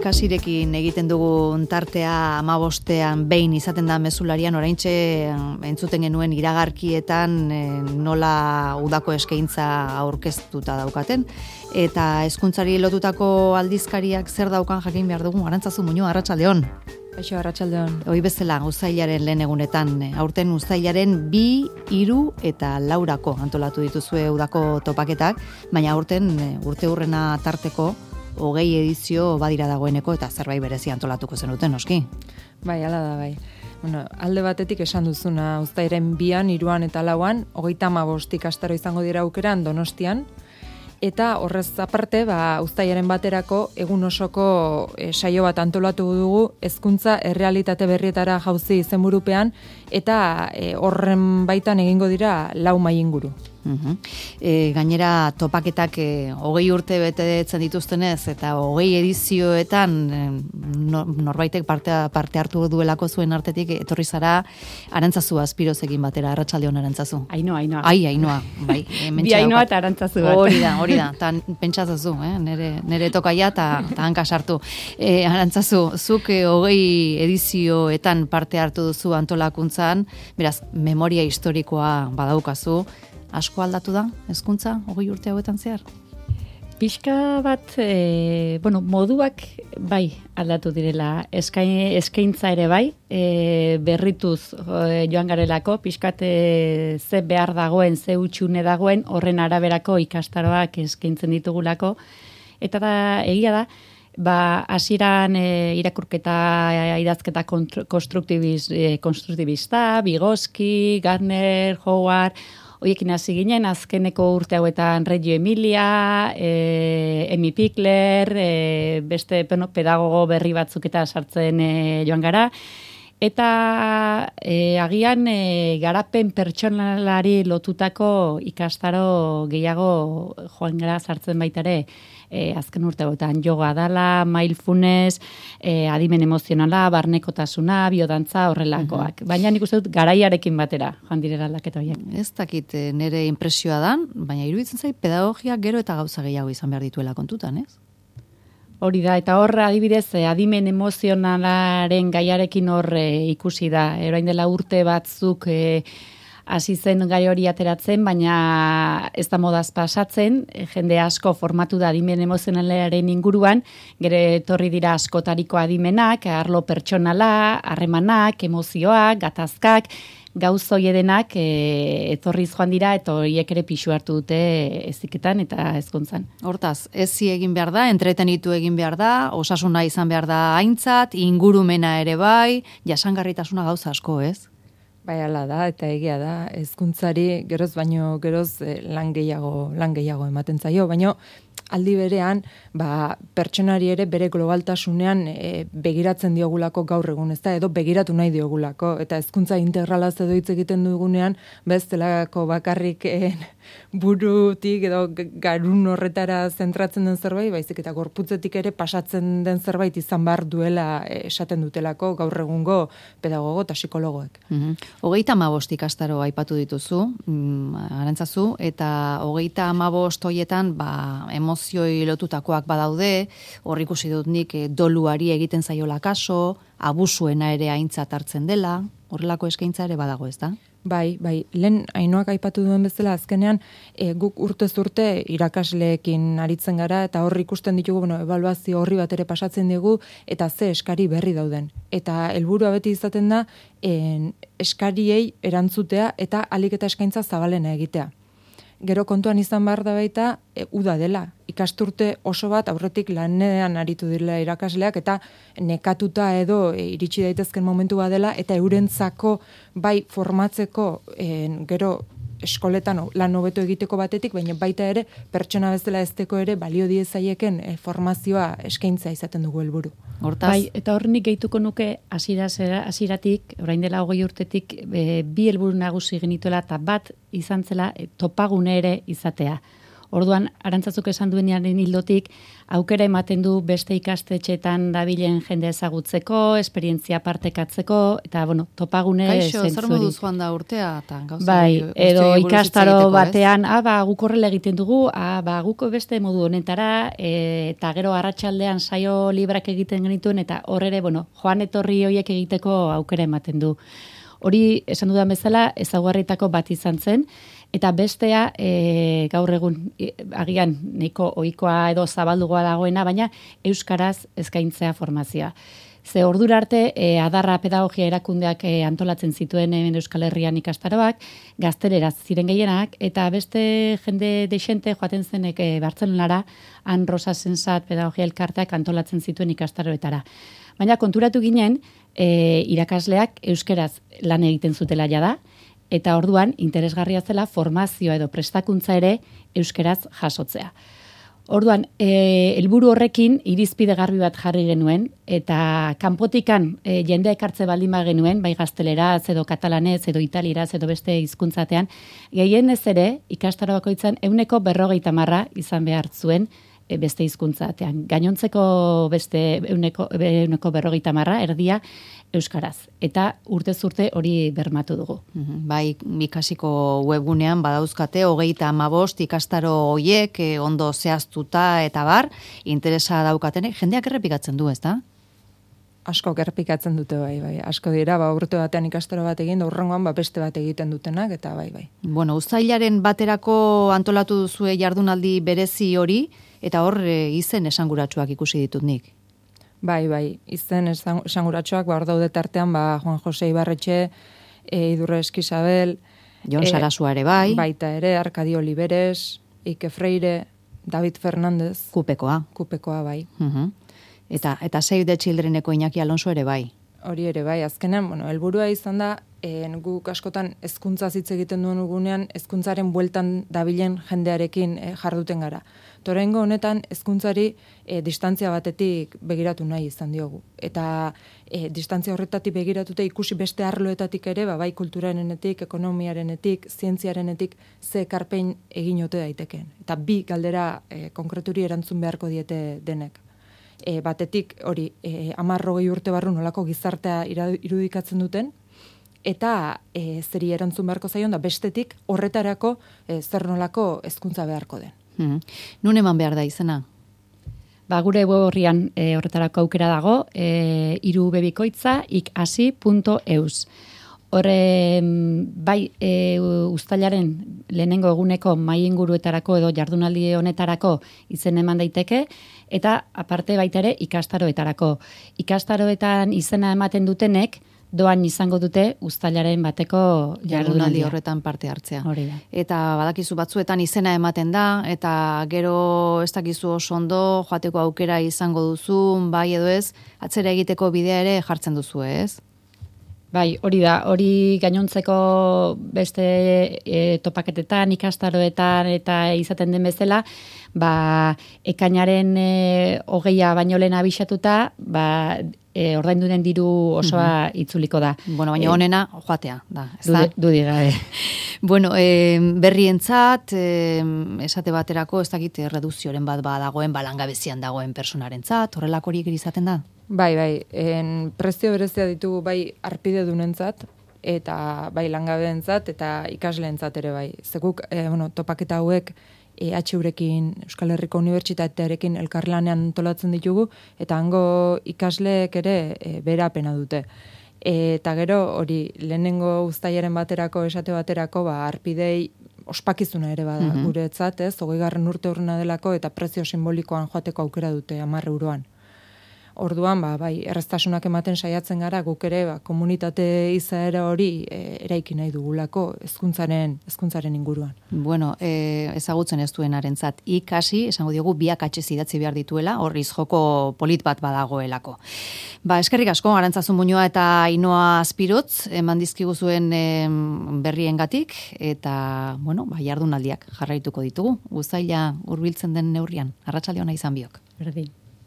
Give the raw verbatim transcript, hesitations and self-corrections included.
ikasirekin egiten dugun tartea hamabostean behin izaten da mezularian, oraintxe entzuten genuen iragarkietan nola udako eskaintza aurkeztuta daukaten, eta hezkuntzari lotutako aldizkariak zer daukan jakin behar dugu. Arantzazu Muñoa, arratsaldeon. Kaixo, arratsaldeon. Hoi bezala, uztailaren lehen egunetan, aurten uztailaren bi, hiru eta laurako antolatu dituzue udako topaketak, baina aurten urte hurrena tarteko hogei edizio badira dagoeneko eta zerbait berezi antolatuko zenuten, noski? Bai, hala da, bai. Bueno, alde batetik esan duzuna, uztailaren bian, hiruan eta lauan, hogeita hamabost ikastaro izango dira aukeran Donostian, eta horrez aparte, ba, uztailaren baterako egun osoko e, saio bat antolatu dugu hezkuntza errealitate berrietara jauzi izenburupean, eta e, horren baitan egingo dira lau mai inguru. Uhum. E, gainera topaketak e, hogei urte betetzen dituztenez eta hogei edizioetan e, norbaitek parte, parte hartu duelako zuen artetik etorri zara Arantzazu Azpirozekin batera. Arratsaldeon, Arantzazu. Ainoa, Ainoa. Ai, Ainoa, bai. Bi Ainoa eta Arantzazu bat. Hori da, hori da. Tan pentsatzazu, eh? Nere, nere tokaia eta hanka sartu. E, Arantzazu, zuk e, hogei edizioetan parte hartu duzu antolakuntzan, beraz, memoria historikoa badaukazu. Asko aldatu da, hezkuntza, hogei urte hauetan zehar? Pixka bat, e, bueno, moduak bai aldatu direla, Eskain, eskaintza ere bai, e, berrituz e, joan garelako, pixkat e, ze behar dagoen, ze utxune dagoen, horren araberako ikastaroak eskaintzen ditugulako, eta da, egia da, ba, hasieran e, irakurketa idazketa konstruktibis, e, konstruktibista, Vygotsky, Gardner, Howard, hoiekin hasi ginen, azkeneko urte hauetan Reggio Emilia, e, Emi Pikler, e, beste bueno, pedagogo berri batzuk eta sartzen e, joan gara. Eta e, agian e, garapen pertsonalari lotutako ikastaro gehiago joan gara sartzen baitare, e, azken urte hauetan yoga dala, mindfulness, e, adimen emozionala, barnekotasuna, biodantza horrelakoak. Uh-huh. Baina nik uste dut garaiarekin batera joan direla aldaketa horiek. Ez dakit nire inpresioa dan, baina iruditzen zait pedagogia gero eta gauza gehiago izan behar dituela kontutan, ez? Hori da, eta hor adibidez adimen emozionalaren gaiarekin hor e, ikusi da. Orain dela urte batzuk e, hasi zen gai hori ateratzen, baina ez da modaz pasatzen, e, jende asko formatu da adimen emozionalaren inguruan, gero etorri dira askotariko adimenak, arlo pertsonala, harremanak, emozioak, gatazkak, gauzo edenak e, etorriz joan dira eta horiek ere pixu hartu dute heziketan eta hezkuntzan. Hortaz, ezi egin behar da, entretenitu egin behar da, osasuna izan behar da aintzat, ingurumena ere bai, jasangarritasuna gauza asko, ez? Bai, hala da, eta egia da, hezkuntzari geroz baino geroz eh, lan gehiago, lan gehiago ematen zaio, baino aldi berean, ba, pertsonari ere bere globaltasunean e, begiratzen diogulako gaur egun, ez da, edo begiratu nahi diogulako, eta hezkuntza integralaz edo hitz egiten dugunean, bestelako bakarrik e, burutik edo garun horretara zentratzen den zerbait, baizik eta gorputzetik ere pasatzen den zerbait izan behar duela e, esaten dutelako gaur egungo pedagogo eta psikologoek. Mm-hmm. Hogeita hamabost ikastaro aipatu dituzu, mm, Arantzazu, eta hogeita hamabost hoietan, ba, emozioi lotutakoak badaude, hor ikusi dut nik doluari egiten zaiola kaso, abusuena ere aintzat hartzen dela, horrelako eskaintza ere badago, ez da? Bai, bai, lehen Ainoak aipatu duen bezala azkenean e, guk urtez urte irakasleekin aritzen gara eta hor ikusten ditugu, bueno, ebaluazio horri bat ere pasatzen dugu eta ze eskari berri dauden. Eta helburua beti izaten da en, eskariei erantzutea eta ahalik eta eskaintza zabalena egitea. Gero kontuan izan behar da baita, e, uda dela. Ikasturte oso bat aurretik lanean aritu direla irakasleak eta nekatuta edo e, iritsi daitezken momentu dela eta eurentzako bai formatzeko e, gero eskoletan lan hobeto egiteko batetik, baina baita ere pertsona bezala ezteko ere balio diezaieken e, formazioa eskaintza izaten dugu helburu. Hortaz, bai, eta hor nik gehituko nuke hasieratik, orain dela hogei urtetik e, bi helburu nagusi genituela eta bat izan zela e, topagune ere izatea. Orduan, Arantzazuk esan duenaren hildotik, aukera ematen du beste ikastetxeetan dabilen jende ezagutzeko, esperientzia partekatzeko, eta, bueno, topagune Kaixo, zentzuri. zer moduz joan da urtea? Ta, gauza, Bai, edo ikastaro batean, ez? ah, ba, guk horrela egiten dugu, ah, ba, guk beste modu honetara, e, eta gero arratsaldean saio librak egiten genituen, eta hor ere, bueno, joan etorri horiek egiteko aukera ematen du. Hori, esan dudan bezala, ezaugarritako bat izan zen, eta bestea, e, gaur egun, e, agian, nahiko ohikoa edo zabaldugoa dagoena, baina euskaraz eskaintzea formazioa. Ze ordura arte, e, adarra pedagogia erakundeak e, antolatzen zituen hemen Euskal Herrian ikastaroak, gazteleraz ziren gehienak, eta beste jende deixente joaten zenek e, Bartzelonara, han Rosa Sensat pedagogia elkarteak antolatzen zituen ikastaroetara. Baina konturatu ginen, e, irakasleak euskeraz lan egiten zutela jada, eta orduan interesgarria zela formazioa edo prestakuntza ere euskeraz jasotzea. Orduan, e, helburu horrekin irizpide garbi bat jarri genuen, eta kanpotikan e, jende ekartze baldin ba genuen, bai gazteleraz edo katalanez edo italieraz edo beste hizkuntzatean, gehienez ere ikastaro bakoitzan ehuneko berrogeita marra izan behar zuen e, beste hizkuntzatean. Gainontzeko beste ehuneko ehuneko berrogeita marra erdia euskaraz. Eta urtez urte hori bermatu dugu. Bai, ikasiko webgunean badauzkate hogeita hamabost ikastaro hoiek eh, ondo zehaztuta eta bar, interesa daukatenek, jendeak errepikatzen du, ezta? Asko errepikatzen dute bai, bai. Asko dira, ba, urte batean ikastaro bat egin, da urrengoan ba, beste bat egiten dutenak, eta bai, bai. Bueno, uztailaren baterako antolatu duzue jardunaldi berezi hori, eta hor e, izen esanguratsuak ikusi ditut nik. Bai, bai, izen esanguratsuak, ba, hor daude tartean, ba, Juan Jose Ibarretxe, e, Idurre Eskizabel, Jon e, Sarasua ere bai. Baita ere, Arkadio Oliveres, Ike Freire, David Fernandez. Kupekoa. Kupekoa, bai. Uh-huh. Eta, eta Save the Childreneko Iñaki Alonso ere bai. Hori ere bai, azkenean, bueno, helburua izan da, e, guk askotan hezkuntza hitz egiten duen gunean, hezkuntzaren bueltan dabilen jendearekin e, jarduten gara. Torengo honetan hezkuntzari e, distantzia batetik begiratu nahi izan diogu. Eta e, distantzia horretatik begiratuta ikusi beste arloetatik ere, ba, bai kulturarenetik, ekonomiarenetik, zientziarenetik, ze ekarpen egin ote daitekeen. Eta bi galdera e, konkreturi erantzun beharko diete denek. E, batetik hori e, amarrogei urte barru nolako gizartea irudikatzen duten, eta e, zeri erantzun beharko zaion da bestetik horretarako e, zer nolako hezkuntza beharko den. Hmm. Nun eman behar da izena? Ba, gure web horrian e, horretarako aukera dago, e, irubebikoitza ikasi punto eus. Horre, bai, e, uztailaren lehenengo eguneko mai inguruetarako edo jardunaldi honetarako izen eman daiteke, eta aparte baita ere ikastaroetarako. Ikastaroetan izena ematen dutenek, doan izango dute uztailaren bateko jardunaldi horretan parte hartzea. Hori da. Eta badakizu batzuetan izena ematen da, eta gero ez dakizu oso ondo joateko aukera izango duzu, bai edo ez, atzera egiteko bidea ere jartzen duzu, ez? Bai, hori da, hori gainontzeko beste e, topaketetan, ikastaroetan eta izaten den bezala, ba, ekainaren e, hogeia baino lehen abixatuta, ba, e, ordaindu den diru osoa uh-huh. itzuliko da. Bueno, baina honena joatea da. Dude, dudi gabe. Bueno, e, berrientzat, e, esate baterako, ez dakit reduzioren bat badagoen, balangabezian dagoen personarentzat, horrelako horiek izaten da? Bai, bai, en prezio berezia ditugu bai arpide dunentzat, eta bai langabeentzat eta ikasleentzat ere bai. Zeguk, e, bueno, topaketa hauek E H Urekin, Euskal Herriko Unibertsitatearekin elkarlanean antolatzen ditugu, eta hango ikasleek ere e, berapena dute. E, eta gero, hori, lehenengo uztailaren baterako, esate baterako, ba, arpidei ospakizuna ere bada, mm-hmm. guretzat, ez, hogeigarren urte urrena delako, eta prezio simbolikoan joateko aukera dute, hamar euroan. Orduan, ba, bai, erraztasunak ematen saiatzen gara, guk ere, ba, komunitate izaera hori e, eraiki nahi dugulako hezkuntzaren hezkuntzaren inguruan. Bueno, e, ezagutzen ez duenarentzat ikasi, esango diogu biak atxez idatzi behar dituela, horriz joko polit bat badagoelako. Ba, eskerrik asko, Arantzazu Muñoa eta Ainhoa Azpirotz, eman dizkiguzuen e, berriengatik, eta, bueno, ba, jardunaldiak jarraituko ditugu, uztaila hurbiltzen den neurrian. Arratsalde ona izan biok. Berdin.